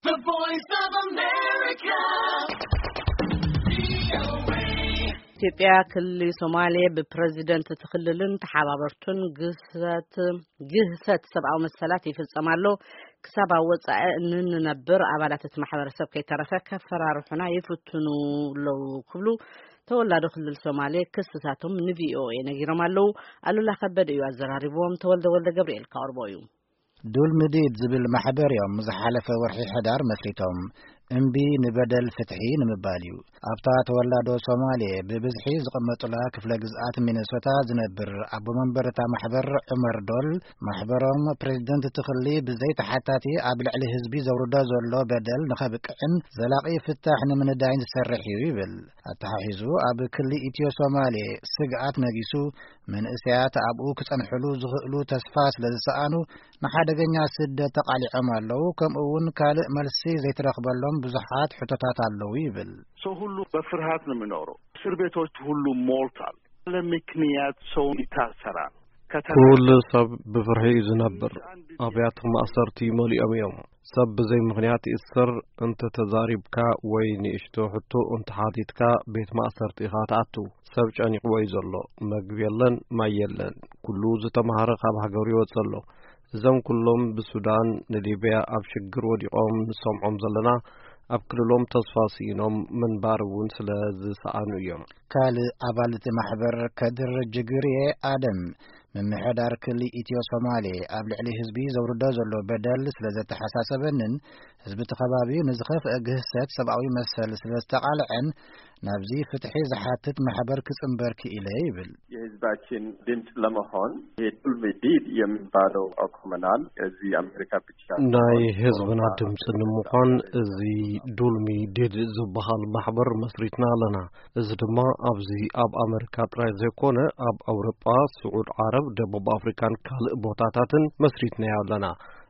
The Voice of America. ኢትዮጵያ ክልል ሶማሌ ብፕሬዚደንት እቲ ክልልን ተሓባበርቱን ግህሰት ግህሰት ሰብኣዊ መሰላት ይፍጸም ኣሎ፣ ክሳብ ኣብ ወጻኢ እንንነብር ኣባላት እቲ ማሕበረሰብ ከይተረፈ ከፈራርሑና ይፍትኑ ኣለዉ ክብሉ ተወላዶ ክልል ሶማሌ ክስታቶም ንቪኦኤ ነጊሮም ኣለዉ። ኣሉላ ከበደ እዩ ኣዘራሪብዎም። ተወልደ ወልደ ገብርኤል ካቕርቦ እዩ። ዱል ምዲድ ዝብል ማሕበር እዮም ዝሓለፈ ወርሒ ሕዳር መስሪቶም። እምቢ ንበደል ፍትሒ ንምባል እዩ። ኣብታ ተወላዶ ሶማሌ ብብዝሒ ዝቕመጡላ ክፍለ ግዝኣት ሚነሶታ ዝነብር ኣቦ መንበር እታ ማሕበር ዑመር ዶል፣ ማሕበሮም ፕሬዚደንት ትኽሊ ብዘይ ተሓታቲ ኣብ ልዕሊ ህዝቢ ዘውርዶ ዘሎ በደል ንኸብቅዕን ዘላቒ ፍታሕ ንምንዳይን ዝሰርሕ እዩ ይብል። ኣተሓሒዙ ኣብ ክሊ ኢትዮ ሶማሌ ስግኣት ነጊሱ፣ መንእሰያት ኣብኡ ክጸንሕሉ ዝኽእሉ ተስፋ ስለ ዝሰኣኑ ንሓደገኛ ስደት ተቓሊዖም ኣለዉ፣ ከምኡ እውን ካልእ መልሲ ዘይተረኽበሎም ብዙሓት ሕቶታት ኣለዉ ይብል። ሰው ሁሉ በፍርሃት ነው የሚኖረው። እስር ቤቶች ሁሉ ሞልቷል። ያለ ምክንያት ሰው ይታሰራል። ከተራ ኩሉ ሰብ ብፍርሒ እዩ ዝነብር። ኣብያተ ማእሰርቲ መሊኦም እዮም። ሰብ ብዘይ ምኽንያት ይእሰር። እንተ ተዛሪብካ ወይ ንእሽቶ ሕቶ እንተ ሓቲትካ ቤት ማእሰርቲ ኢኻ ትኣቱ። ሰብ ጨኒቕዎ እዩ ዘሎ። መግቢ የለን፣ ማይ የለን። ኩሉ ዝተማህረ ካብ ሃገሩ ይወጽእ ኣሎ። እዞም ኩሎም ብሱዳን ንሊብያ ኣብ ሽግር ወዲቖም ንሰምዖም ዘለና፣ ኣብ ክልሎም ተስፋ ስኢኖም ምንባር እውን ስለ ዝሰኣኑ እዮም። ካልእ ኣባል እቲ ማሕበር ከድር ጅግርየ ኣደም፣ ምምሕዳር ክሊ ኢትዮ ሶማሌ ኣብ ልዕሊ ህዝቢ ዘውርዶ ዘሎ በደል ስለ ዘተሓሳሰበንን ህዝቢ እቲ ከባቢ ንዝኸፍአ ግህሰት ሰብኣዊ መሰል ስለ ዝተቓልዐን ናብዚ ፍትሒ ዝሓትት ማሕበር ክጽንበር ክኢለ ይብል። የህዝባችን ድምፅ ለመሆን ይሄ ዱልሚ ዲድ የሚባለው አቁመናል። እዚህ አሜሪካ ብቻ ናይ ሳይሆን ህዝብና ድምፂ ንምዃን እዚ ዱልሚ ዲድ ዝበሃል ማሕበር መስሪትና ኣለና። እዚ ድማ ኣብዚ ኣብ ኣሜሪካ ጥራይ ዘይኮነ ኣብ ኣውሮጳ፣ ስዑድ ዓረብ፣ ደቡብ ኣፍሪካን ካልእ ቦታታትን መስሪትናዮ ኣለና።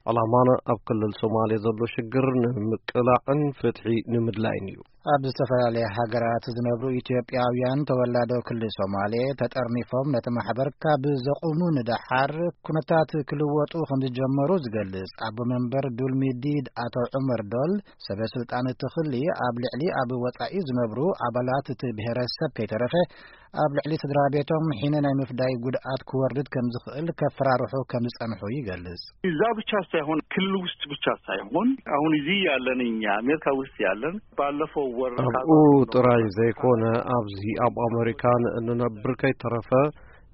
ዕላማና ኣብ ክልል ሶማሌ ዘሎ ሽግር ንምቅላዕን ፍትሒ ንምድላይን እዩ። ኣብ ዝተፈላለያ ሃገራት ዝነብሩ ኢትዮጵያውያን ተወላዶ ክልል ሶማሌ ተጠርኒፎም ነቲ ማሕበር ካብ ዘቑሙ ንደሓር ኩነታት ክልወጡ ከም ዝጀመሩ ዝገልጽ ኣቦ መንበር ዱልሚ ዲድ ኣቶ ዑመር ዶል፣ ሰበ ስልጣን እቲ ክሊ ኣብ ልዕሊ ኣብ ወጻኢ ዝነብሩ ኣባላት እቲ ብሔረሰብ ከይተረፈ ኣብ ልዕሊ ስድራ ቤቶም ሒነ ናይ ምፍዳይ ጉድኣት ክወርድ ከም ዝኽእል ከፈራርሑ ከም ዝጸንሑ ይገልጽ። እዛ ብቻ ሳይሆን ክልል ውስጥ ብቻ ሳይሆን አሁን እዚህ ያለን እኛ አሜሪካ ውስጥ ያለን ባለፈው ወር ኣብኡ ጥራይ ዘይኮነ ኣብዚ ኣብ ኣሜሪካን እንነብር ከይተረፈ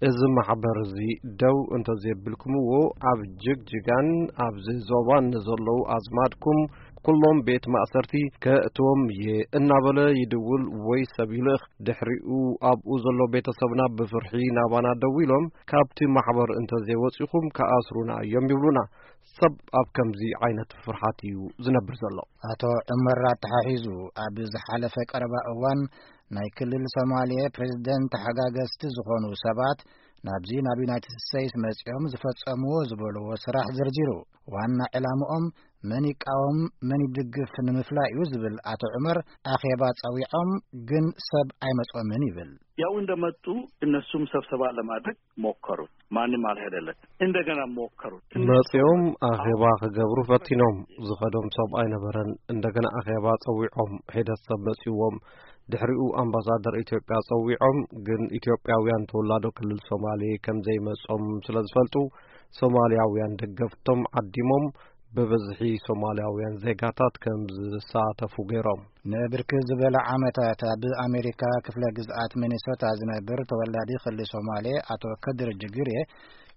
እዚ ማሕበር እዚ ደው እንተዘየብልኩምዎ ኣብ ጅግጅጋን ኣብዚ ዞባን ንዘለዉ ኣዝማድኩም ኩሎም ቤት ማእሰርቲ ከእትዎም እየ እናበለ ይድውል ወይ ሰብ ይልእኽ። ድሕሪኡ ኣብኡ ዘሎ ቤተሰብና ብፍርሒ ናባና ደዊሎም፣ ካብቲ ማሕበር እንተዘይወጺኹም ክኣስሩና እዮም ይብሉና። ሰብ ኣብ ከምዚ ዓይነት ፍርሓት እዩ ዝነብር ዘሎ። ኣቶ ዑመር ኣተሓሒዙ፣ ኣብ ዝሓለፈ ቀረባ እዋን ናይ ክልል ሶማሌ ፕሬዝደንት ተሓጋገዝቲ ዝኾኑ ሰባት ናብዚ ናብ ዩናይትድ ስቴትስ መጺኦም ዝፈጸምዎ ዝበልዎ ስራሕ ዘርዚሩ፣ ዋና ዕላምኦም መን ይቃወም መን ይድግፍ ንምፍላይ እዩ ዝብል ኣቶ ዑመር፣ ኣኼባ ጸዊዖም ግን ሰብ ኣይመጾምን ይብል። ያው እንደመጡ እነሱም ሰብሰባ ለማድረግ ሞከሩት። ማንም አልሄደለት። እንደገና ሞከሩት። መጺኦም ኣኼባ ክገብሩ ፈቲኖም። ዝኸዶም ሰብ ኣይነበረን። እንደገና ኣኼባ ጸዊዖም። ሒደት ሰብ መጺዎም። ድሕሪኡ ኣምባሳደር ኢትዮጵያ ጸዊዖም፣ ግን ኢትዮጵያውያን ተወላዶ ክልል ሶማሌ ከም ዘይመጾም ስለ ዝፈልጡ፣ ሶማልያውያን ደገፍቶም ዓዲሞም፣ ብብዝሒ ሶማልያውያን ዜጋታት ከም ዝሳተፉ ገይሮም። ንብርክት ዝበለ ዓመታት ኣብ ኣሜሪካ ክፍለ ግዝኣት ሚኒሶታ ዝነብር ተወላዲ ክሊ ሶማሌ ኣቶ ከድር ጅግሬ፣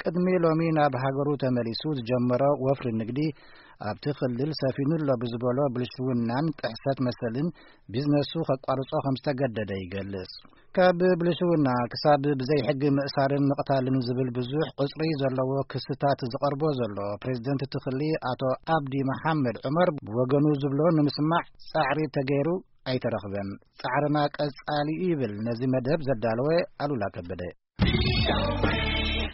ቅድሚ ሎሚ ናብ ሃገሩ ተመሊሱ ዝጀመሮ ወፍሪ ንግዲ፣ ኣብቲ ክልል ሰፊኑ ኣሎ ብዝበሎ ብልሽውናን ጥሕሰት መሰልን ቢዝነሱ ከቋርጾ ከም ዝተገደደ ይገልጽ። ካብ ብልሽውና ክሳብ ብዘይ ሕጊ ምእሳርን ምቕታልን ዝብል ብዙሕ ቁጽሪ ዘለዎ ክስታት ዝቐርቦ ዘሎ ፕሬዝደንት እቲ ክሊ ኣቶ ኣብዲ መሓመድ ዑመር ብወገኑ ዝብሎ ንምስማዕ ጻዕሪ ተገይሩ ኣይተረኽበን። ጻዕርና ቀጻሊ እዩ ይብል ነዚ መደብ ዘዳለወ ኣሉላ ከበደ።